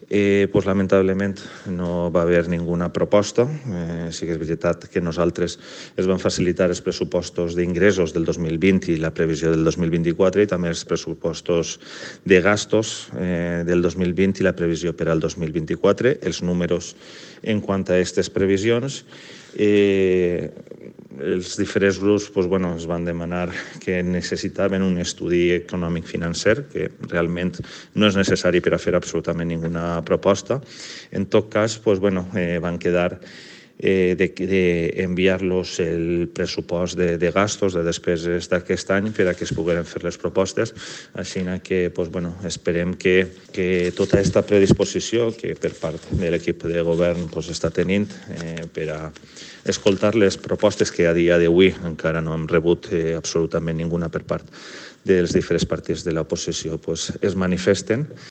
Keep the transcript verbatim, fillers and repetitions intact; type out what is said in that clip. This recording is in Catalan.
Eh, pues, lamentablement no va haver ninguna proposta. Eh, sí que és veritat que nosaltres es van facilitar els pressupostos d'ingressos del dos mil vint i la previsió del dos mil vint-i-quatre i també els pressupostos de gastos eh, del dos mil vint i la previsió per al dos mil vint-i-quatre. Els números en quant a aquestes previsions, eh, els diferents grups pues, bueno, es van demanar que necessitaven un estudi econòmic financer, que realment no és necessari per a fer absolutament ninguna proposta. En tot cas, pues, bueno, eh, van quedar eh, d'enviar-los de el pressupost de, de gastos, de despeses d'aquest any per a que es pogueren fer les propostes. Així que pues, bueno, esperem que, que tota aquesta predisposició que per part de l'equip de govern pues, està tenint eh, per a escoltar les propostes que a dia d'avui encara no hem rebut eh, absolutament ninguna per part dels diferents partits de l'oposició pues, es manifesten.